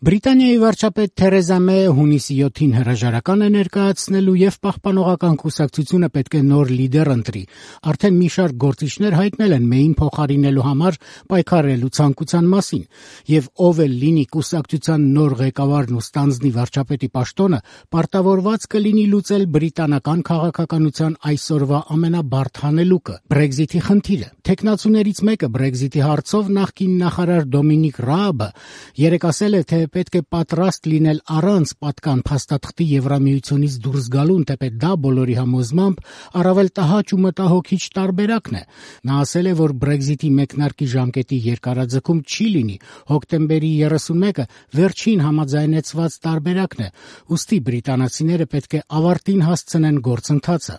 Բրիտանիայի վարչապետ Թերեզա Մեյը հունիսի 7-ին հրաժարական է ներկայացնելու եւ Պահպանողական կուսակցությունը պետք է նոր լիդեր ընտրի։ Արդեն մի շարք գործիչներ հայտնել են Մեյին փոխարինելու համար պայքարելու ցանկության մասին, եւ ով էլ լինի կուսակցության նոր ղեկավարն ու ստանձնի վարչապետի պաշտոնը, պարտավորված կլինի լուծել բրիտանական քաղաքականության այսօրվա ամենաբարդ հանելուկը՝ Brexit-ի խնդիրը։ Թեկնածուներից մեկը Brexit-ի հարցով նախկին նախարար Դոմինիկ Ռաաբը երեկ ասել է, թե պետք է պատրաստ լինել առանց պատկան փաստաթղթի Եվրամիությունից դուրս գալուն, թեպետ դա բոլորի համոզմամբ առավել տհաճ ու մտահոգիչ տարբերակն է։ Նա ասել է, որ Brexit-ի մեկնարկի ժամկետի երկարաձգում չի լինի, հոկտեմբերի 31-ը վերջին համաձայնեցված տարբերակն է, ուստի բրիտանացիները պետք է ավարտին հասցնեն գործընթացը։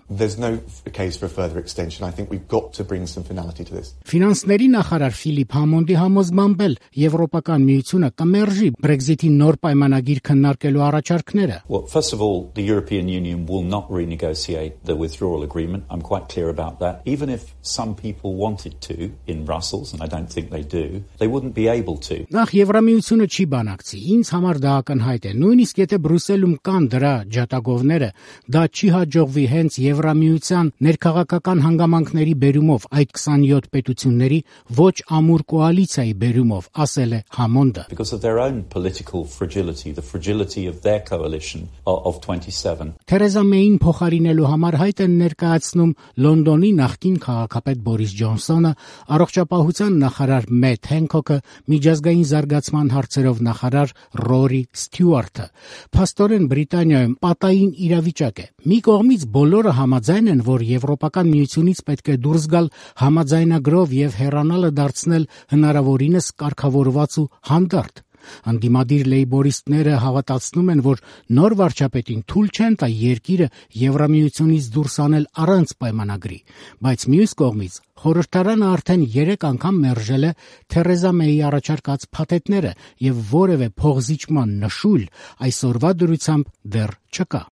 Ֆինանսների նախարար Ֆիլիպ Համոնդի համոզմամբ էլ Եվրոպական միությունը կմերժի Brexit-ի նոր պայմանագիր քննարկելու առաջարկները։ First of all, the European Union will not renegotiate the withdrawal agreement. I'm quite clear about that. Even if some people wanted to in Brussels, and I don't think they do, they wouldn't be able to. Նախ Եվրամիությունը չի բանակցի։ Ինձ համար դա ակնհայտ է։ Նույնիսկ եթե Բրյուսելում կան դրա ջատագովները, դա չի հաջողվի հենց Եվրամիության ներքաղաքական հանգամանքների բերումով, այդ 27 պետությունների ոչ ամուր կոալիցիայի բերումով, ասել է Համոնդը։ Because of their own political fragility, the fragility of their coalition of 27. Թերեզա Մեյին փոխարինելու համար հայտ են ներկայացնում Լոնդոնի նախկին քաղաքապետ Բորիս Ջոնսոնը, առողջապահության նախարար Մեթ Հենքոքը, միջազգային զարգացման հարցերով նախարար Ռորի Ստյուարտը։ Փաստորեն Բրիտանիայում պատային իրավիճակ է։ Մի կողմից բոլորը համաձայն են, որ Եվրոպական միությունից պետք է դուրս գալ համաձայնագրով եւ հեռանալը դարձնել հնարավորինս կարգավորված ու հանդարտ։ Անդիմադիր լեյբորիստները հավատացնում են, որ նոր վարչապետին թույլ չեն տա երկիրը Եվրամիությունից դուրս անել առանց պայմանագրի, բայց մյուս կողմից խորհրդարանը արդեն 3 անգամ մերժել է Թերեզա Մեյի առաջարկած փաթեթները եւ որևէ փոխզիջման նշույլ այսօրվա դրությամբ դեռ չկա։